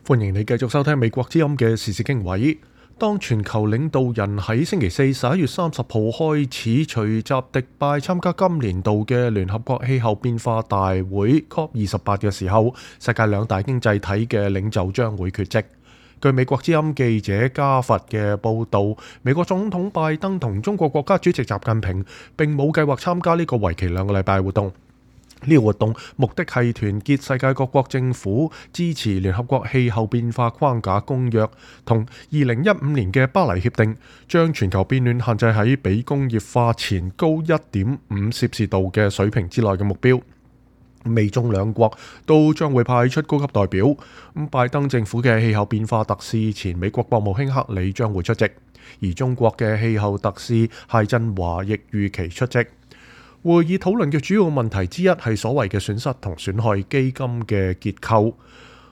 歡迎你繼續收聽美國之音嘅時事經緯。當全球領導人喺星期四11月30號開始隨集迪拜參加今年度嘅聯合國氣候變化大會 COP28 嘅時候，世界兩大經濟體嘅領袖將會缺席。據美國之音記者加佛嘅報導，美國總統拜登同中國國家主席習近平並冇計劃參加呢個為期2個禮拜活動。呢個活動目的係團結世界各國政府，支持聯合國氣候變化框架公約同2015年嘅巴黎協定，將全球變暖限制喺比工業化前高 1.5 攝氏度嘅水平之內嘅目標。美中兩國都將會派出高級代表。拜登政府嘅氣候變化特使前美國國務卿克里將會出席，而中國嘅氣候特使謝振華亦預期出席。會議討論嘅主要問題之一係所謂嘅損失同損害基金嘅結構。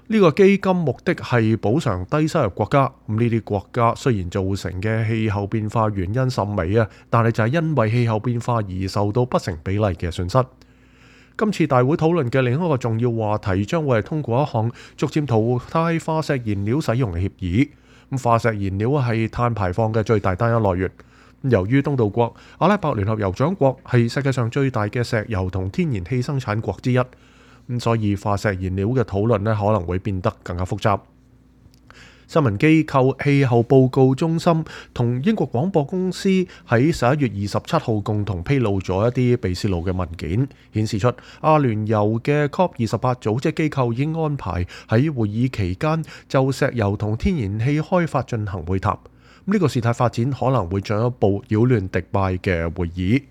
呢個基金目的係補償低收入國家。呢啲國家雖然造成嘅氣候變化原因甚微啊，但係就係因為氣候變化而受到不成比例嘅損失。今次大會討論嘅另一個重要話題將會係通過一項逐漸淘汰化石燃料使用嘅協議。化石燃料係碳排放嘅最大單一來源。由於東道國阿拉伯聯合酋長國係世界上最大嘅石油同天然氣生產國之一，所以化石燃料嘅討論可能會變得更加複雜。新聞機構氣候報告中心同英國廣播公司喺11月27號共同披露咗一啲被泄露嘅文件，顯示出阿聯酋嘅 COP28 組織機構已經安排喺會議期間就石油同天然氣開發進行會談。呢個事態發展可能會進一步擾亂迪拜嘅會議。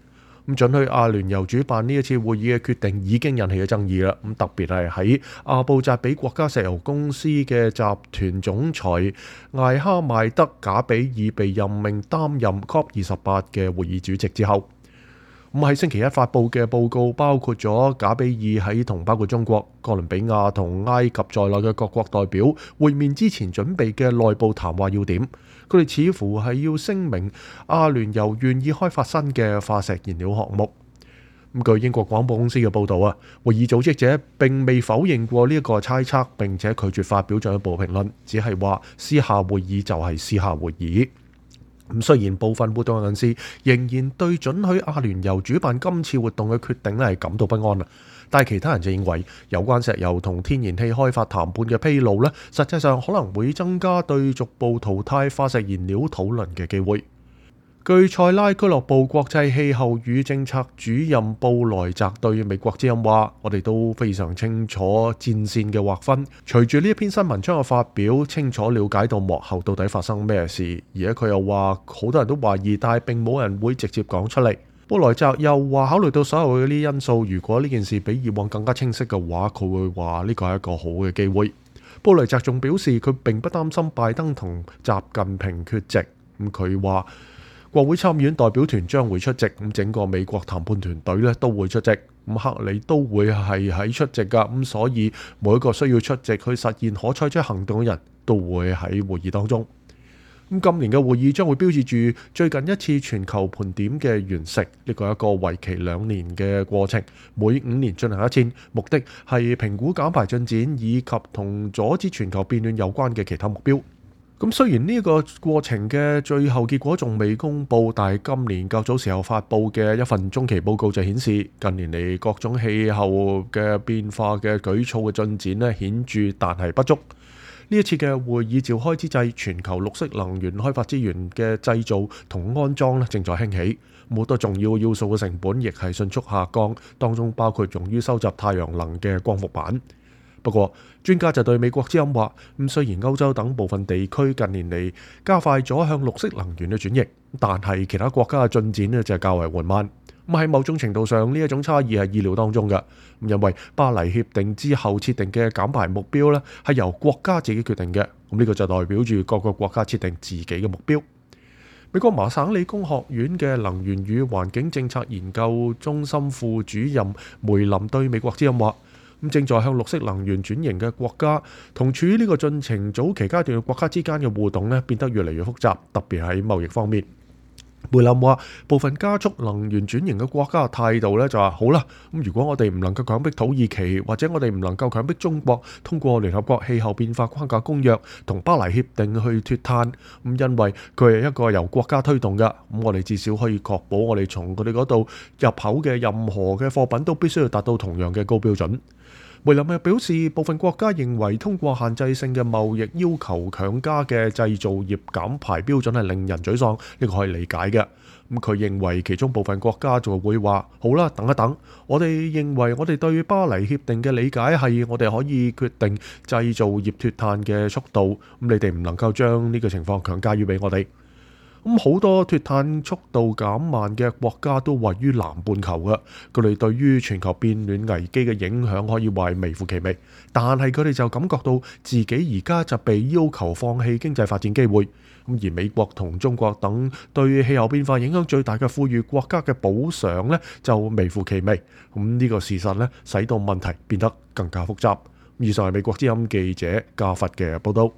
准許阿聯酋主辦呢一次會議嘅決定已經引起咗爭議啦。特別係喺阿布扎比國家石油公司嘅集團總裁艾哈邁德賈比爾被任命擔任 COP28 嘅會議主席之後，喺星期一發布嘅報告包括咗賈比爾喺同包括中國、哥倫比亞同埃及在內嘅各國代表會面之前準備嘅內部談話要點。佢哋似乎係要聲明阿聯酋願意開發新嘅化石燃料項目。據英國廣播公司嘅報導啊，會議組織者並未否認過呢一個猜測，並且拒絕發表進一步評論，只係話私下會議就係私下會議。雖然部分活動人士仍然對准許阿聯酋主辦今次活動嘅決定係感到不安，但係其他人就認為有關石油同天然氣開發談判嘅披露實際上可能會增加對逐步淘汰化石燃料討論嘅機會。據塞拉俱樂部國際氣候與政策主任布萊澤對美國之音話：我哋都非常清楚戰線嘅劃分。隨住呢一篇新聞將嘅發表，清楚了解到幕後到底發生咩事。而且佢又話，好多人都懷疑，但係並冇人會直接講出嚟。布萊澤又話，考慮到所有嘅呢啲因素，如果呢件事比以往更加清晰嘅話，佢會話呢個係一個好嘅機會。布萊澤仲表示，佢並不擔心拜登同習近平缺席。佢話國會參議院代表團將會出席，整個美國談判團隊都會出席，克里都會係喺出席㗎，所以每一個需要出席去實現可採取行動嘅人都會喺會議當中。今年嘅會議將會標誌住最近一次全球盤點嘅完成，呢個係一個為期2年嘅過程，每5年進行一次，目的係評估減排進展以及同阻止全球變暖有關嘅其他目標。雖然呢個過程嘅最後結果仲未公布，但係今年較早時候發布嘅一份中期報告就顯示，近年嚟各種氣候嘅變化嘅舉措嘅進展顯著，但係不足。呢一次嘅會議召開之際，全球綠色能源開發資源嘅製造同安裝正在興起，好多重要要素嘅成本亦係迅速下降，當中包括用於收集太陽能嘅光伏板。不過，專家就對美國之音話，雖然歐洲等部分地區近年嚟加快咗向綠色能源嘅轉型，但係其他國家嘅進展就係較為緩慢。喺某種程度上，呢一種差異係意料當中嘅，因為巴黎協定之後設定嘅減排目標係由國家自己決定嘅，呢個就代表住各個國家設定自己嘅目標。美國麻省理工學院嘅能源與環境政策研究中心副主任梅林對美國之音話，正在向綠色能源轉型嘅國家同處於呢個進程早期階段嘅國家之間嘅互動變得越嚟越複雜，特別喺貿易方面。梅林話：部分加速能源轉型嘅國家嘅態度咧就話好啦，咁如果我哋唔能夠強迫土耳其，或者我哋唔能夠強迫中國通過聯合國氣候變化框架公約同巴黎協定去脫碳，咁因為佢係一個由國家推動嘅，咁我哋至少可以確保我哋從佢哋嗰度入口嘅任何嘅貨品都必須要達到同樣嘅高標準。梅林又表示，部分國家認為通過限制性嘅貿易要求強加嘅製造業減排標準係令人沮喪，呢個可以理解嘅。咁佢認為其中部分國家就會話：好啦，等一等，我哋認為我哋對巴黎協定嘅理解係我哋可以決定製造業脫碳嘅速度，咁你哋唔能夠將呢個情況強加於俾我哋。咁好多脫碳速度減慢嘅國家都位於南半球嘅，佢哋對於全球變暖危機嘅影響可以話係微乎其微，但係佢哋就感覺到自己而家就被要求放棄經濟發展機會。咁而美國同中國等對氣候變化影響最大嘅富裕國家嘅補償呢，就微乎其微。咁呢個事實呢，使到問題變得更加複雜。以上係美國之音記者加佛嘅報道。